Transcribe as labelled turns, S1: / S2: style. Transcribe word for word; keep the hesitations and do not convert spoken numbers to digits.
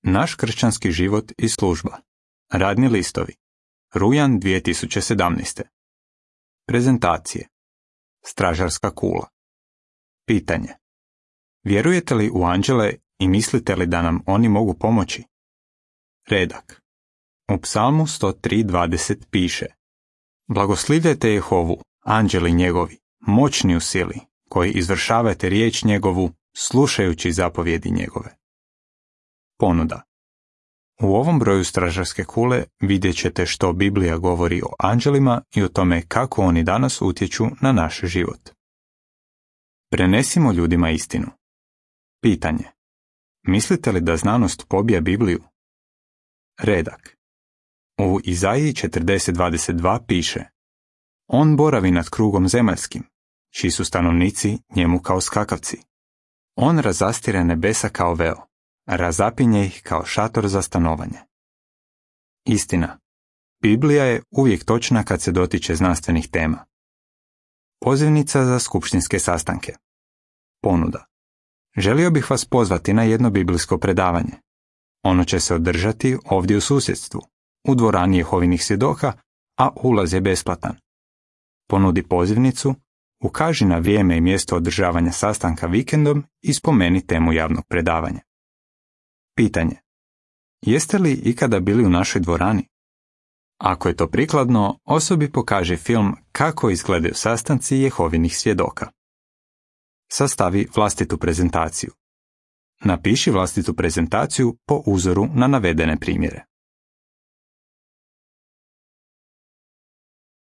S1: Naš kršćanski život i služba. Radni listovi. Rujan dvije tisuće sedamnaeste. Prezentacije. Stražarska kula. Pitanje. Vjerujete li u anđele i mislite li da nam oni mogu pomoći? Redak. U Psalmu sto tri dvadeset piše: Blagoslivljajte Jehovu, anđeli njegovi, moćni u sili, koji izvršavate riječ njegovu, slušajući zapovjedi njegove. Ponuda. U ovom broju stražarske kule vidjet ćete što Biblija govori o anđelima i o tome kako oni danas utječu na naš život. Prenesimo ljudima istinu. Pitanje. Mislite li da znanost pobija Bibliju? Redak. U Izaiji četrdeset dvadeset dva piše: On boravi nad krugom zemaljskim, čiji su stanovnici njemu kao skakavci. On razastire nebesa kao veo, razapinje ih kao šator za stanovanje. Istina. Biblija je uvijek točna kad se dotiče znanstvenih tema. Pozivnica za skupštinske sastanke. Ponuda. Želio bih vas pozvati na jedno biblijsko predavanje. Ono će se održati ovdje u susjedstvu, u dvorani Jehovinih svjedoka, a ulaz je besplatan. Ponudi pozivnicu, ukaži na vrijeme i mjesto održavanja sastanka vikendom i spomeni temu javnog predavanja. Pitanje. Jeste li ikada bili u našoj dvorani? Ako je to prikladno, osobi pokaži film Kako izgledaju sastanci Jehovinih svjedoka. Sastavi vlastitu prezentaciju. Napiši vlastitu prezentaciju po uzoru na navedene primjere.